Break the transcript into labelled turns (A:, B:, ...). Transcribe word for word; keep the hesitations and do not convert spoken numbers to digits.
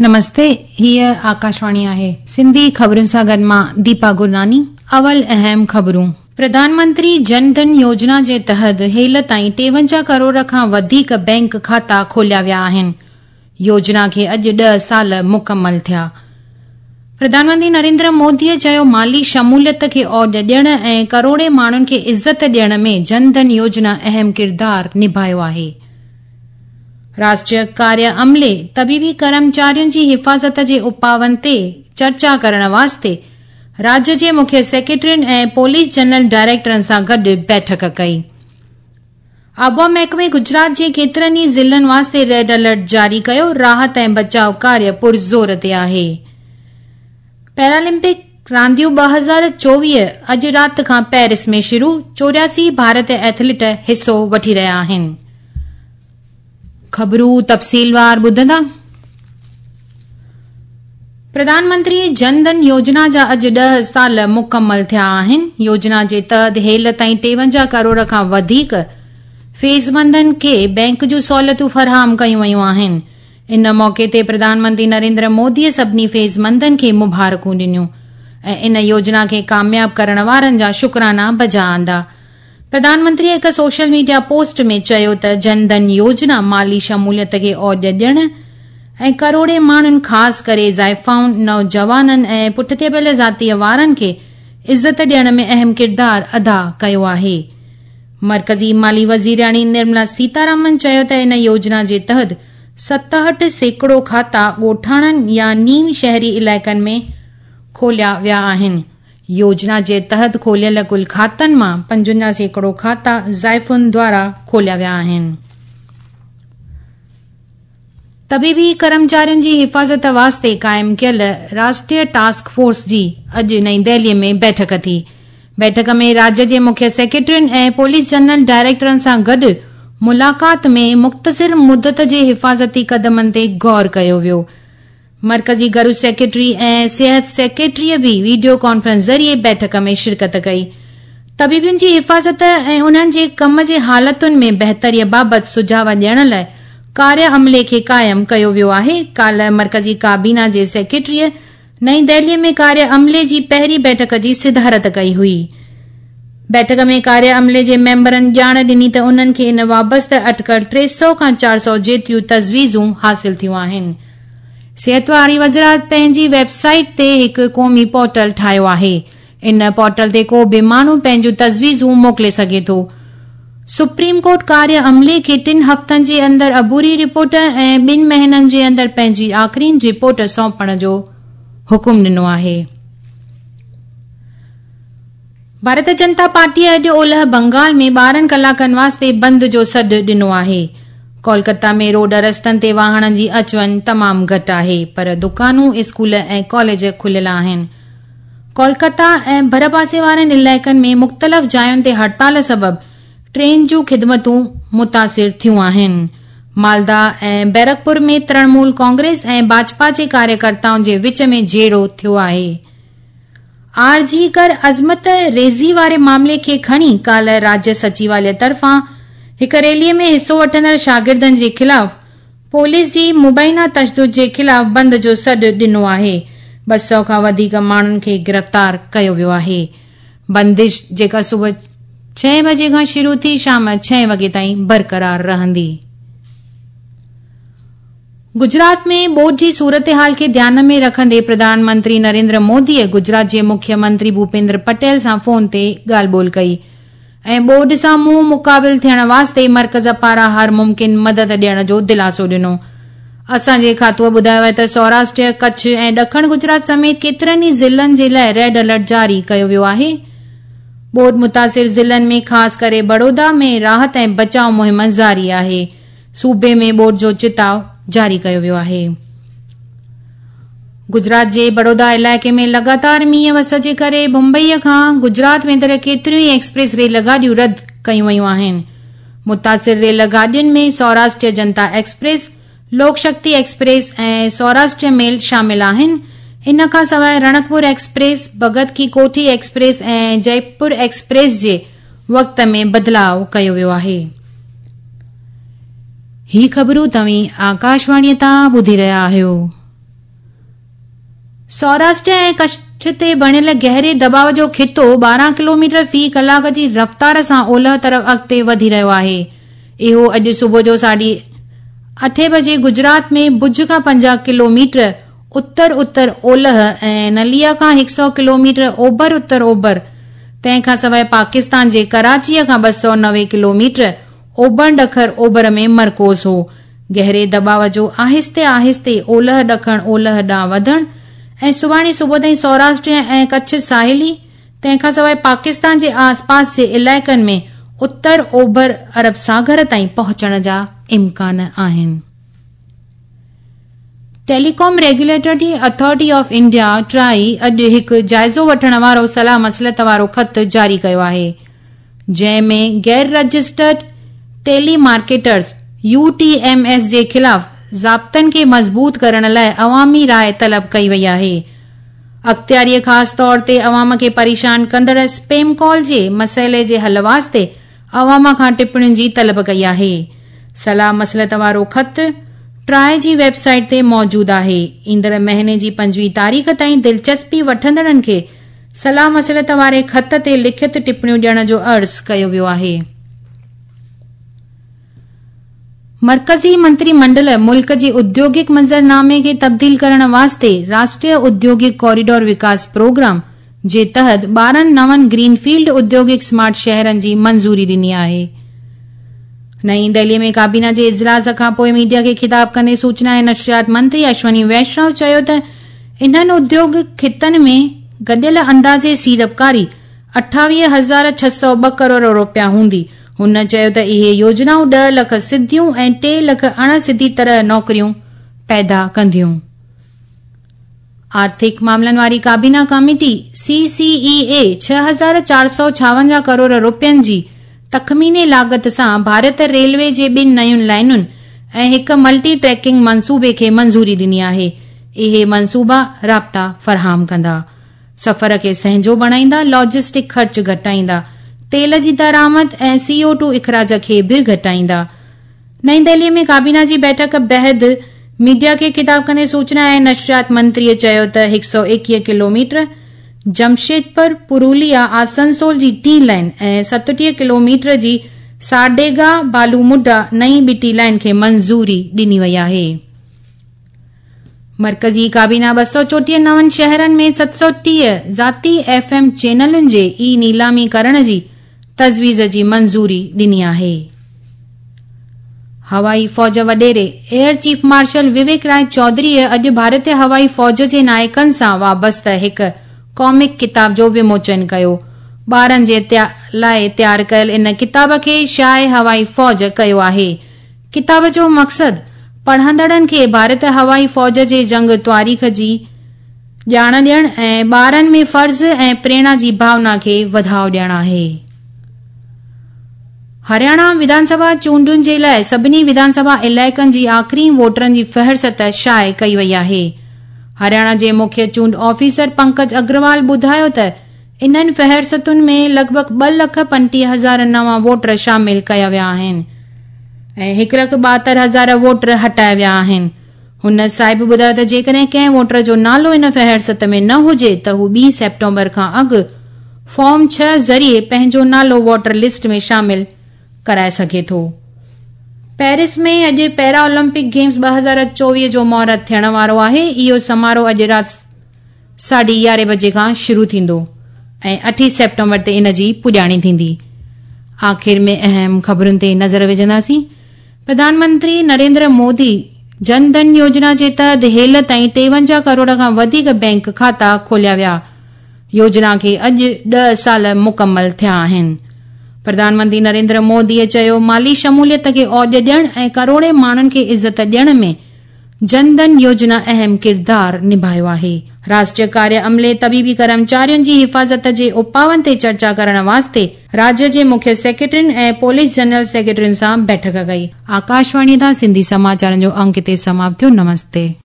A: نمستي، هيء آڪاشواڻي آهي. سنڌي خبرن سان گڏ مان ديپا گرناني. اول اهم خبرون. پرڌان منتري جن ڌن يوجنا جي تحت هيل تائين ٽيونجاهه ڪروڙ کان وڌيڪ بينڪ کاتا کوليا ويا آهن. يوجنا کي اڄ ڏهه سال مڪمل ٿيا. پرڌان منتري نريندر موديء چيو مالي شموليت کي اوڄ ڏيڻ ۽ ڪروڙين ماڻهن کي عزت ڏيڻ ۾ جن ڌن يوجنا اهم ڪردار نڀايو آهي. راشٽريه ڪاريه عملي طبيبي ڪرمچارين جي حفاظت جي اپائن تي چرچا ڪرڻ واسطي راجيه جي مکيه سيڪريٽرين ۽ پوليس جنرل ڊائريڪٽرن سان گڏ بيٺڪ ڪئي. آبهوا محڪمي گجرات جي ڪيترن ئي ضلعن واسطي ريڊ الرٽ جاري ڪيو. راحت ۽ بچاء ڪاريه پرزور تي آهي. پيرالمپڪ رانديون ٻه هزار چوويهه اڄ رات کان پيرس ۾ شروع، چوراسي ڀارتي ايٿليٽ حصو وٺي رهيا آهن. خبرون تفصيلوار ٻڌندا. پرڌان منتري جن ڌن يوجنا جا اڄ ڏهه سال مڪمل ٿيا آهن. يوجنا جي تحت هيل تائين ٽيونجاهه ڪروڙ کان وڌيڪ فيضمندن کي بينڪ جون سهولتون فراهم ڪيون ويون آهن. ان موقعي تي پرڌان منتري نريندر موديء سڀني فيضمندن کي مبارڪون ڏنيون ۽ ان يوجنا کي ڪامياب ڪرڻ وارن جا شڪرانا بجا آندا. پرڌان منتري هڪ سوشل ميڊيا پوسٽ ۾ چيو ته جن ڌن يوجنا مالي شموليت کي اوڄ ڏيڻ ۽ ڪروڙين ماڻهن خاص ڪري زائفائن، نوجوانن ۽ پٺتي پيل ذاتيء وارن کي عزت ڏيڻ ۾ اهم ڪردار ادا ڪيو آهي. مرڪزي مالي وزيرياڻي نرملا سيتارامن چيو ته ان يوجنا جي تحت ستهٺ سيڪڙو کاتا ڳوٺاڻن يا نيم شهري علائقن ۾ کوليا ويا آهن. يوجنا جي تحت کوليل ڪل کاتن مان پنجونجاهه سيڪڙو کاتا زائفن دوارا کوليا ويا آهن. طبيبي ڪرمچارين جي حفاظت واسطي قائم ڪيل راشٽريه ٽاسڪ فورس جي اڄ نئين دهلي ۾ بيٺڪ ٿي. بيٺڪ ۾ راجيه جي مکيه سيڪريٽرين ۽ پوليس جنرل ڊائريڪٽرن سان گڏ ملاقات ۾ مختصر مدت جي حفاظتي قدمن تي غور ڪيو ويو. مرڪزي گهرو سيڪريٽري ۽ صحت سيڪريٽريء به وڊيو ڪانفرنس ذريعي بيٺڪ ۾ شرڪت ڪئي. طبيبن جي حفاظت ۽ انهن جي ڪم جي حالتن ۾ بهتريء بابت سجهاء ڏيڻ لاء ڪاريه عملي کي قائم ڪيو ويو آهي. ڪالهه مرڪزي ڪابينا جي سيڪريٽريء نئين دهليء ۾ ڪاريه عملي جي پهرين بيٺڪ جي صدارت ڪئي هئي. بيٺڪ ۾ ڪاريه عملي جي ميمبرن ڄاڻ ڏني ته انهن کي ان وابسته اٽڪل ٽي سؤ کان چار سؤ جيتريون تجويزون حاصل ٿيون آهن. صحت واري وزارت پنهنجي ويب سائيٽ تي هڪ قومي پورٽل ٺاهيو آهي. ان پورٽل تي ڪو به ماڻهو پنهنجون تجويزون موڪلي سگهي ٿو. سپريم ڪورٽ ڪاريه عملي کي ٽن هفتن جي اندر عبوري رپورٽ ۽ ٻن مهينن جي اندر پنهنجي آخرين رپورٽ سونپڻ جو حڪم ڏنو آهي. ڀارتيه جنتا پارٽيء اڄ اولهه بنگال ۾ ٻارهن ڪلاڪن واسطي بند جو سڏ ڏنو آهي. ڪولڪتا ۾ روڊ رستن تي واهڻن جي اچ وڃ تمام گهٽ آهي، پر دڪانون، اسڪول ۽ ڪاليج کليل آهن. ڪولڪتا ۽ ڀرپاسي وارن علائقن ۾ مختلف جاين تي هڙتال سبب ٽرين جون خدمتون متاثر ٿيون آهن. مالدا ۽ بيرڪپور ۾ ترڻمول ڪانگريس ۽ ڀاجپا جي ڪاريڪرتائن جي وچ ۾ جهيڙو ٿيو آهي. آر جي ڪر عصمت ريزي واري معاملي کي کڻي ڪالهه راجيه سچيواليه طرفان هڪ ريلي ۾ حصو وٺندڙ شاگردن جي خلاف پوليس جي مبينا تشدد جي خلاف بند جو سڏ ڏنو آهي. ٻه سؤ کان وڌيڪ ماڻهن کي گرفتار ڪيو ويو آهي. بندش جيڪا صبح ڇهين بجي کان شروع ٿي شام ڇهين وڳي تائين برقرار رهندي. گجرات ۾ ٻوڏ جي صورتحال کي ڌيان ۾ رکندي پرڌان منتري نريندر موديء گجرات جي مکيه منتري ڀوپيندر پٽيل سان فون تي ڳالهه ٻولهه ڪئي ۽ ٻوڏ سان منهن مقابل ٿيڻ واسطي مرڪز پاران هر ممڪن مدد ڏيڻ جو دلاسو ڏنو. اسان جي کاتوء ٻڌايو آهي ته سوراشٽر، ڪڇ ۽ ڏکڻ گجرات سميت ڪيترن ئي ضلعن جي لاء ريڊ الرٽ جاري ڪيو ويو آهي. ٻوڏ متاثر ضلعن ۾ خاص ڪري بڙودا ۾ راحت ۽ بچاء مهم جاري آهي. صوبي ۾ ٻوڏ جو چتاء جاري ڪيو ويو آهي. گجرات جي بڙودا علائقي ۾ لڳاتار مينهن وس جي ڪري ممبئي کان گجرات ويندڙ ڪيتريون ئي ايڪسپريس ريل گاڏيون رد ڪيون ويون آهن. متاثر ريل گاڏين ۾ سوراشٽر جنتا ايڪسپريس، لوڪ شڪتي ايڪسپريس ۽ سوراشٽر ميل شامل آهن. ان کان سواء رڻڪپور ايڪسپريس، ڀڳت ڪي ڪوٺي ايڪسپريس ۽ جئپور ايڪسپريس جي وقت ۾ بدلاء ڪيو ويو آهي. هي خبرون توهين آڪاشواڻيء تان ٻڌي رهيا آهيو. سوراشٽر ۽ ڪڇ تي بڻيل گهري دٻاء جو خطو ٻارهن ڪلوميٽر في ڪلاڪ جي رفتار سان اولهه طرف اڳتي وڌي رهيو آهي. اهو اڄ صبح جو ساڍي اٺين بجي گجرات ۾ ڀڄ کان پنجاهه ڪلوميٽر اتر اتر اولهه ۽ نليا کان هڪ سؤ ڪلوميٽر اوڀر اتر اوڀر، تنهن کان سواء پاڪستان جي ڪراچيء کان ٻه سؤ نوي ڪلوميٽر اوڀر ڏکڻ اوڀر ۾ مرڪوز هو. گهري دٻاء جو آهستي آهستي اولهه ڏکڻ اولهه ڏانهن وڌڻ ۽ سڀاڻي صبح تائين سوراشٽر ۽ ڪڇ ساحلي، تنهن کان سواء پاڪستان جي آسپاس جي علائقن ۾ اتر اوڀر عرب ساگر تائين پهچڻ جا امڪان آهن. Telecom regulatory authority of India TRAI اڄ هڪ جائزو وٺڻ وارو صلاح مصلحت وارو خط جاري ڪيو آهي، جنهن ۾ غير registered telemarketers U T M S جي خلاف ضابطن کي مضبوط ڪرڻ لاء عوامي راءِ طلب ڪئي وئي آهي. اختياريء خاص طور تي عوام کي پريشان ڪندڙ اسپيم ڪال جي مسئلي جي حل واسطي عوام کان ٽپڻين جي طلب ڪئي آهي. صلاح مصلحت وارو خط ٽرائي جي ويب سائيٽ تي موجود آهي. ايندڙ مهيني جي پنجويهه تاريخ تائين دلچسپي وٺندڙن کي صلاح مصلحت واري خط تي لکت ٽپڻيون ڏيڻ جو عرض ڪيو ويو آهي. مرڪزي منتري منڊل ملڪ جي اديوگڪ منظرنامي کي تبديل ڪرڻ واسطي راشٽريه اديوگڪ ڪوريڊور وڪاس پروگرام جي تحت ٻارهن نون گرين فيلڊ اديوگڪ سمارٽ شهرن جي منظوري ڏني آهي. نئين دهلي ۾ ڪابينا جي اجلاس کان پوءِ ميڊيا کي خطاب ڪندي سوچنا ۽ نشريات منتري اشوني ويشنو چيو ته انهن اديوگڪ خطن ۾ گڏيل اندازي سيڙپڪاري اٺاويهه هزار ڇهه سؤ ٻه ڪروڙ رپيا هوندي. هن چيو ته اهي يوجنائون ڏهه لک سڌيون ۽ ٽي لک اڻ سڌي طرح نوڪريون پيدا ڪنديون. آرٿڪ معاملن واري ڪابينا ڪاميٽي سي سي اي اي ڇهه هزار چار سؤ ڇاونجاهه ڪروڙ رپين جي تخميني لاڳت سان ڀارت ريلوي جي ٻن نين لائنن ۽ هڪ ملٽي ٽريڪنگ منصوبي کي منظوري ڏني آهي. اهي منصوبا رابطا فراهم ڪندا، سفر کي سهنجو بڻائيندا، لاجسٽڪ خرچ گهٽائيندا، تيل جي درآمد ۽ سي او ٽو اخراج کي به گهٽائيندا. نئين دهلي ۾ ڪابينا جي بيٺڪ بعد ميڊيا کي خطاب ڪندي سوچنا ۽ نشريات منتريء چيو ته هڪ سؤ ايڪويهه ڪلوميٽر جمشيدپور پروليا آسنسول جي ٽين لائن ۽ ستٽيهه ڪلوميٽر جي ساڊيگا بالومڊا نئين ٻٽي لائن کي منظوري ڏني وئي آهي. مرڪزي ڪابينا ٻه سؤ چوٽيهه نون شهرن ۾ ست سؤ ٽيهه ذاتي ايف ايم چينلن جي اي نيلامي ڪرڻ جي تجويز جي منظوري ڏني آهي. هوائي فوج وڏيري air chief marshal Vivek Rai چوڌريء اڄ ڀارتي هوائي فوج جي نائڪن سان وابسته هڪ ڪامڪ ڪتاب جو وموچن ڪيو. ٻارن جي لاءِ تيار ڪيل ان ڪتاب کي شايع هوائي فوج ڪيو آهي. ڪتاب جو مقصد پڙهندڙن کي ڀارتي هوائي فوج جي جنگ تواريخ جي ڄاڻ ڏيڻ ۽ ٻارن ۾ فرض ۽ پريرڻا جي ڀاونا کي وڌاءُ ڏيڻ آهي. هرياڻا وڌان سڀا چونڊن جي لاءِ سڀني وڌان سڀا علائقن جي آخري ووٽرن جي فهرست شايع ڪئي وئي آهي. هرياڻا جي مکيه چونڊ آفيسر پنڪج اگروال ٻڌايو ته انهن فهرستن ۾ لڳ ڀڳ ٻه لک پنجٽيهه هزار نوان ووٽر شامل ڪيا ويا آهن ۽ هڪ لک ٻاهتر هزار ووٽر هٽايا ويا آهن. هن صاحب ٻڌايو ته جيڪڏهن ڪنهن ووٽر جو نالو ان فهرست ۾ نه هجي ته هو ٻي سيپٽمبر کان اڳ فارم ڇهه ذريعي پنهنجو نالو ووٽر لسٽ ۾ شامل ڪرائي سگهي ٿو. پيرس ۾ اڄ پيرا اولمپڪ گيمز ٻه هزار چوويهه جو مهورت ٿيڻ وارو آهي. اهو سماروهه اڄ رات ساڍي يارهين بجي کان شروع ٿيندو ۽ اٺين سيپٽمبر تي ان جي پڄاڻي ٿيندي. آخر ۾ اهم خبرن تي نظر وجهنداسين. پرڌان منتري نريندر مودي جن ڌن يوجنا جي تحت هيل تائين ٽيونجاهه ڪروڙ کان وڌيڪ بينڪ کاتا کوليا ويا. يوجنا کي اڄ ڏهه سال مڪمل ٿيا آهن. پرڌان منتري نريندر موديءَ چيو مالي شموليت کي اوج ڏيڻ ۽ ڪروڙين ماڻهن کي عزت ڏيڻ ۾ جن ڌن يوجنا اهم ڪردار نڀايو آهي. راشٽريه ڪاريه عملي طبيبي ڪرمچارين جي حفاظت جي اپائن تي چرچا ڪرڻ واسطي راجيه جي مکيه سيڪريٽرين ۽ پوليس جنرل سيڪريٽرين سان بيٺڪ ڪئي. آڪاشواڻي تان سنڌي سماچارن جو انڪ هتي سماپت ٿيو. نمستي.